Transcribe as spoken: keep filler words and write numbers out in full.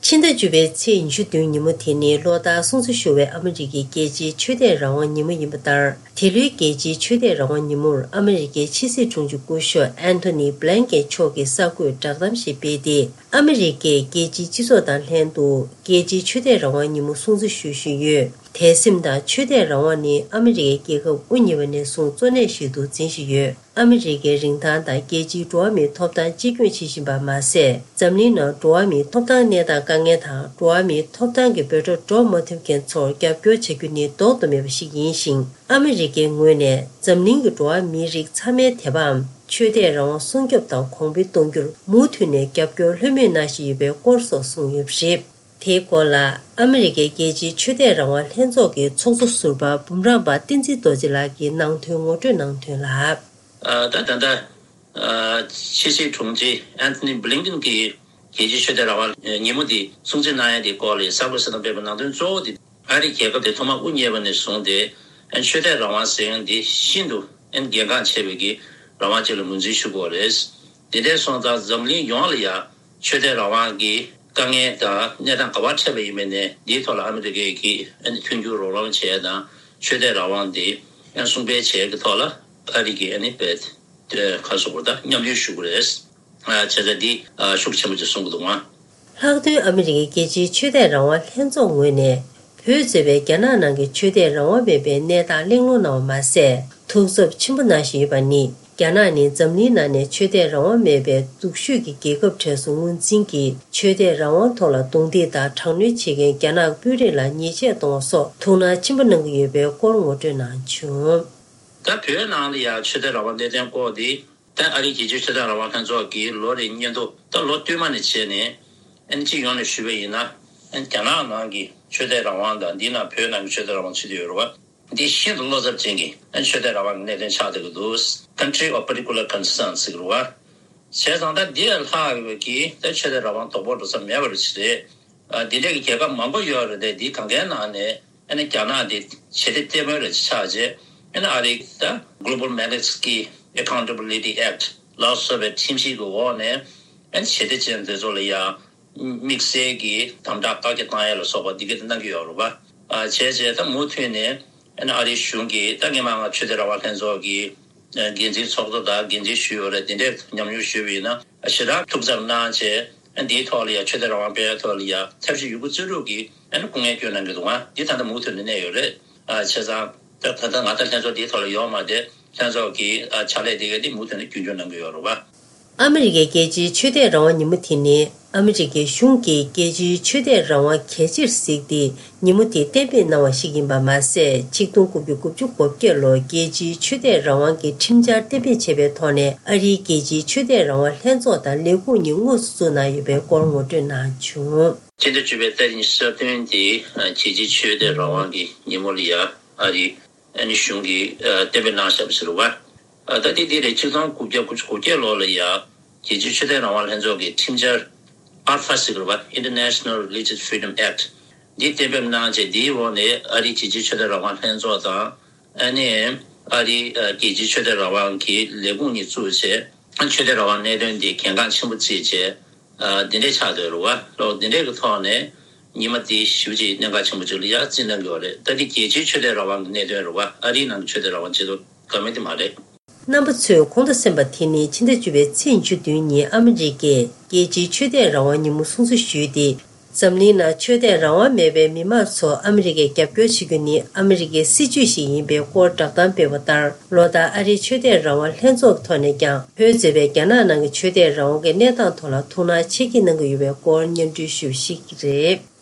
ཕྱི་ཟླ་བཅུ་པའི་ཚེས་ཉི་ཤུ་བདུན་ཉིན་མོ་དེ་ནི་ལོ་ལྟར་སྲུང་བརྩི་ཞུ་བའི་ཨ་མི་རི་ཀའི་རྒྱལ་སྤྱིའི་ཆོས་དད་རང་དབང་ཉིན་མོ་ཡིན་པ་ལྟར། དེ་ལོའི་རྒྱལ་སྤྱིའི་ཆོས་དད་རང་དབང་ཉིན་མོར་ཨ་མི་རི་ཀའི་ཕྱི་སྲིད་དྲུང་ཆེ་སྐུ་ཞབས་ཨན་ཐོ་ནི་བྷི་ལན་ཀེན་མཆོག་གིས་གསར་འགོད་བསྒྲགས་གཏམ་ཞིག་སྤེལ་ཏེ། ཨ་མི་རི་ཀས་རྒྱལ་སྤྱིའི་སྤྱི་ཚོགས་དང་ལྷན་དུ་རྒྱལ་སྤྱིའི་ཆོས་དད་རང་དབང་ཉིན་མོ་སྲུང་བརྩི་ཞུ་བཞིན་ཡོད། དད་སེམས་དང་ཆོས་དད་རང་དབང་ནི་ཨ་མི་རི་ཀའི་རྒྱལ་ཁབ་དབུ་བརྙེས་པ་ནས་བཟུང་གཙོ་གནད་ཞིག་ཏུ་འཛིན་བཞིན་ཡོད། ཨ་མི་རི་ཀའི་རིན་ཐང་དང་རྒྱལ་སྤྱིའི་འགྲོ་བ་མིའི་ཐོབ་ཐང་གཅེས་སྐྱོང་བྱེད་བཞིན་པ་མ་ཟད། འཛམ་གླིང་ནང་འགྲོ་བ་མིའི་ཐོབ་ཐང་གནས་སྟངས་དཀའ་ངལ་དང་། འགྲོ་བ་མིའི་ཐོབ་ཐང་གི་འབོད་སྒྲ་སྒྲོག་མ་ཐུབ་མཁན་ཚོར་རྒྱབ་སྐྱོར་བྱ་རྒྱུ་ནི་ལྡོག་ཏུ་མེད་པ་ཞིག་ཡིན་ཞིང་། ཨ་མི་རི་ཀའི་ངོས་ནས་འཛམ་གླིང་གི་འགྲོ་བ་མིའི་རིགས་ཚང་མའི་དད་པའམ་ཆོས་དད་རང་དབང་སྲུང་སྐྱོབ་དང་གོང་འཕེལ་གཏོང་རྒྱུར་མུ་མཐུད་ནས་རྒྱབ་སྐྱོར་ལྷོད་མེད་གནང་བཞིན་ཡོད་པའི་སྐོར་སོགས་གསུངས་ཡོད་པ་རེད། དེའི་སྐོར་ལ། ཨ་མི་རི་ཀའི་རྒྱལ་སྤྱིའི་ཆོས་དད་རང་དབང་ལྷན་ཚོགས་ཀྱི་ཚོགས་གཙོ་ཟུར་པ་འབུམ་རམས་པ་བསྟན་འཛིན་རྡོ་རྗེ་ལགས་ཀྱིས་ནང་དོན་ངོ་སྤྲོད་གནང་དོན་ལ། ཨ། ད་ད་ལྟ་ཨ་ཕྱི་སྲིད་དྲུང་ཆེ་ཨན་ཐོ་ནི་བྷི་ལིན་ཀེན་གྱིས་རྒྱལ་སྤྱིའི་ཆོས་དད་རང་དབང་ཉིན་མོ་འདི་སྲུང་བརྩི་གནང་ཡ་དེའི་སྐོར་ལ་གསར་འགོད་གསལ་བསྒྲགས་སྤེལ་བའི་ནང་དོན་གཙོ་བོ་དེ། ཨ་རིའི་རྒྱལ་ཁབ་དེ་ཐོག་མར་དབུ་བརྙེས་པ་ནས་བཟུང་སྟེ། ཨན་ཆོས་དད་རང་དབང་ཟེར་མཁན་འདི་ཤིན་ཏུ་ཨན་གལ་འགངས་ཆེ་བའི་གི་རང་དབང་ཅིག་ལ་ངོས་འཛིན་ཞུ་དགོས་རེད། དེ་འདྲའི་སོང་ཙང་འཛམ་གླིང་ཡོངས་ལ་ཡང་ཆོས་དད་རང་དབང་གི་དཀའ་ངལ་དང་གནས་སྟངས་ག་པར་འཕྲད་པ་ཡིན་པའི་ནས་འདིའི་ཐོག་ལ་ཨ་མི་རི་ཀས་ཀྱི་ཨན་མཐུན་འགྱུར་རོགས་རམ་བྱས་དང་ཆོས་དད་རང་དབང་འདི་ཨན་སྲུང་སྤེལ་བྱས་ཀྱི་ཐོག་ལ་ཨ་རི་གི་ཨ་ནི་བེད་ཁ་སོགས་པར་ད་མཉམ་ཞུགས་ཞུ་དགོས་རེད། བྱས་ཙང་འདི་ཤུགས་ཆེན་པོ་ཅིག་གསུང་གི་འདུག་ང་། ལྷག་དོན་ཨ་མི་རི་ཀའི་རྒྱལ་སྤྱིའི་ཆོས་དད་རང་དབང་ལྷན་ཚོགས་ངོས་ནས། བོད་གཙོས་པའི་རྒྱ་ནག་ནང་གི་ཆོས་དད་རང་དབང་མེད་པའི་གནས་སྟངས་གླེང་སློང་གནང་བ་མ་ཟད། ཐུགས་འཚབ་ཆེན་པོ་གནང་བཞིན་ཡོད་པ་ནི། རྒྱ་ནག་ནི་འཛམ་གླིང་ནང་ནས་ཆོས་དད་རང་དབང་མེད་པའི་སྡུག་ཤོས་ཀྱི་རྒྱལ་ཁབ་གྲས་སུ་ངོས་འཛིན་གྱིས། ཆོས་དད་རང་དབང་ཐོག་ལ་རྡུང་རྡེག་དང་དྲག་གནོན་བྱེད་མཁན་རྒྱ་ནག་དཔོན་རིགས་ལ་ཉེས་ཆད་གཏོང་བ་སོགས་ཐུགས་སྣང་ཆེན་པོ་གནང་གི་ཡོད་པའི་སྐོར་ངོ་སྤྲོད་གནང་བྱུང་། ད་བོད་ནང་ལ་ཡང་ཆོས་དད་རང་དབང་གནད་དོན་སྐོར་འདི། ད་ཨ་རིའི་རྒྱལ་སྤྱིའི་ཆོས་དད་རང་དབང་ལྷན་ཚོགས་ཀྱིས་ལོ་རེའི་སྙན་ཐོ་ད་ལོ་སྟོད་མ་ནས་བྱས་ནས་ཨ་ནི་སྤྱི་ཡོངས་ནས་ཞུས་པ་ཡིན་ན། ཨ་ནི་རྒྱ་ནག་ནང་གི་ཆོས་དད་རང་དབང་དང་འདི་ནང་བོད་ནང་གི་ཆོས་དད་རང་དབང་ཆེད་དུ་ཡོད་རེད་བ། འདི་ཤིན་ཏུ་བློ་འཚབ་ཅན་གྱི་ཨ་ནི་ཆོས་དད་རང་དབང་གི་གནད་དོན་ཆགས་བསྡད་ཀྱི་འདུག Country of particular concern ཟེར་གྱི་རེད་བ། བྱས་ཙང་ད་འདི་ལས་ལྷག་ཡོད་ཀྱི་ད་ཆོས་དད་རང་དབང་དོག་པོ་འགྲོ་ས་མེད་པ་རེད་ཟེར། ཨ། འདི་འདྲའི་རྒྱལ་ཁབ་མང་པོ་ཡོད་རེད་དེ། འདི་གང་གའི་ནང་ནས་ཨ་ནི་རྒྱ་ནག་འདི་ཞི་བདེ་ལྟད་མོ་རེ་ཆགས་རྗེས། ཨ་ནི་ཨ་རི་ད་Global Magnitsky Accountability Act ལ་སོགས་པའི་ཁྲིམས་ཞིབ་ཀྱི་འོག་ནས་ཨ་ནི་ཞི་བདེ་ཅན་དེ་ཚོ་ལ་ཡང་དམིགས་བསལ་གྱི་དམ་དྲག་བཀག་རྒྱ་བཏང་ཡ་ལ་སོགས་པ་འདི་གའི་གནང་གི་ཡོད་རེད་པ། ཨ། བྱས་རྗེས་ད་མུ་མཐུད་ནས་ཨ་ནི་ཨ་རིའི་གཞུང་གིས་ད་སྔོན་མ་ང་ཆོས་དད་རང་དབང་ལྷན་ཚོགས་ཀྱི་འགན་འཛིན་ཚོགས་གཙོ་དང་འགན་འཛིན་ཞུས་ཡོད་རེད། དེ་འདྲའི་ཉམས་མྱོང་ཞུས་པ་ཡིན་ན་ཞེ་དྲག་ཐུགས་འཚབ་གནང་བྱས། འདིའི་ཐོག་ལ་ཡང་ཆོས་དད་རང་དབང་སྤེལ་ཡའི་ཐོག་ལ་ཡང་ཐབས་ཤེས་ཡོད་རྒུ་རྩལ་སྤྲུགས་ཀྱིས་ཨ་ནི་སྐུ་ངལ་སྐྱོན་གནང་གི་འདུག་ང་། འདི་ད་ལྟ་མུ་མཐུད་ནས་གནས་ཡོད་རེད། ཨ། བྱས་ཙང་ད་ད་ལྟ་ང་ད་ལྷན་ཚོགས་འདིའི་ཐོག་ལ་ཡོད་མ་རེད། ལྷན་ཚོགས་ཀྱི་ཨ་ཕྱག་ལས་དེ་ག་འདི་མུ་མཐུད་ནས་རྒྱུན་སྐྱོང་གནང་གི་ཡོད་རེད་བ། ཨ་མི་རི་ཀའི་རྒྱལ་སྤྱིའི་ཆོས་དད་རང་དབང་ཉིན་མོ་དེ་ནི་ཨ་མི་རི་ཀའི་གཞུང་གིས་རྒྱལ་སྤྱིའི་ཆོས་དད་རང་དབང་གལ་ཆེར་གཟིགས་ཏེ། ཉིན་མོ་དེ་གཏན་འབེབས་གནང་བ་ཞིག་ཡིན་པ་མ་ཟད། ཆིག་སྟོང་དགུ་བརྒྱ་དགུ་བཅུ་གོ་བརྒྱད་ལོར་རྒྱལ་སྤྱིའི་ཆོས་དད་རང་དབང་གི་ཁྲིམས་འཆར་གཏན་འབེབས་བྱས་པའི་ཐོག་ནས་ཨ་རིའི་རྒྱལ་སྤྱིའི་ཆོས་དད་རང་དབང་ལྷན་ཚོགས་དང་ལས་ཁུངས་གཉིས་དངོས་སུ་བཙུགས་གནང་ཡོད་པའི་སྐོར་ངོ་སྤྲོད་གནང་བྱུང་། སྤྱི་ཟླ་བཅུ་པའི་ཏ་རིག་ཉི་ཤུ་རྩ་བདུན་དེ་རྒྱལ་སྤྱིའི་ཆོས་དད་རང་དབང་གི་ཉིན་མོ་ལ་ཡ་ཨ་རི་ཨ་ནི་གཞུང་གིས་ཨ་གཏན་འབེབས་གནང་བཞག་པ་ཞིག་རེད་བ། ཨ། ད་དེ་དེ་རེད། ཆིག་སྟོང་དགུ་བརྒྱ་དགུ་བཅུ་གོ་བརྒྱད་ལོ་ལ་ཡ་རྒྱལ་སྤྱིའི་ཆོས་དད་རང་དབང་ལྷན་ཚོགས་ཀྱི་ཁྲིམས་འཆར་ཨར་ཕ་ཟེར་གྱི་རེད་བ། International Religious Freedom Act འདི་གཏན་འབེབས་གནང་རྗེས། འདིའི་འོག་ནས་ཨ་རིའི་རྒྱལ་སྤྱིའི་ཆོས་དད་རང་དབང་ལྷན་ཚོགས་དང་། ཨ་ནི་ཨ་རིའི་ཨ་རྒྱལ་སྤྱིའི་ཆོས་དད་རང་དབང་གི་ལས་ཁུངས་གཉིས་བཙུགས་བྱས། ཆོས་དད་རང་དབང་གནད་དོན་འདི་གལ་འགངས་ཆེན་པོ་བརྩིས་བྱས། ཨ། འདི་འདྲའི་ཆགས་བསྡད་རེད་བ། ལོ་འདི་འདྲའི་གི་ཐོག་ནས་ཉི་མ་འདི་ཞེ་པོ་ཅིག་གནད་འགག་ཆེན་པོ་ཅིག་ལ་ཡ་བརྩི་གནང་གི་ཡོད་རེད། ད་འདི་རྒྱལ་སྤྱིའི་ཆོས་དད་རང་དབང་གི་གནད་དོན་རེད་བ། ཨ་རིའི་ནང་གི་ཆོས་དད་རང་དབང་ཆེད་དུ་ག་མེད་དེ་མ་རེད། རྣམ་པ་ཚོས་གོང་དུ་གསན་པ་དེ་ནི་ཕྱི་ཟླ་བཅུ་པའི་ཚེས་ཉི་ཤུ་བདུན་ཉིན་ཨ་མི་རི་ཀས་རྒྱལ་སྤྱིའི་ཆོས་དད་རང་དབང་ཉིན་མོ་སྲུང་བརྩི་ཞུས་ཏེ། འཛམ་གླིང་ནང་ཆོས་དད་རང་དབང་མེད་པའི་མི་མང་ཚོ་ཨ་མི་རི་ཀས་རྒྱབ་སྐྱོར་བྱེད་རྒྱུ་ནི་ཨ་མི་རི་ཀའི་སྲིད་ཇུས་ཤིག་ཡིན་པའི་སྐོར་བསྒྲགས་གཏམ་སྤེལ་བ་ལྟར། ལོ་ལྟར་ཨ་རིའི་ཆོས་དད་རང་དབང་ལྷན་ཚོགས་ཀྱི་ཐོག་ནས་ཀྱང་བོད་གཙོས་པའི་རྒྱ་ནག་ནང་གི་ཆོས་དད་རང་དབང་གི་གནས་སྟངས་ཐོག་ལ་ཐུགས་སྣང་ཆེ་བསྐྱེད་གནང་གི་ཡོད་པའི་སྐོར་སྙན་སྒྲོན་ཞུས་པ་ཞིག་རེད།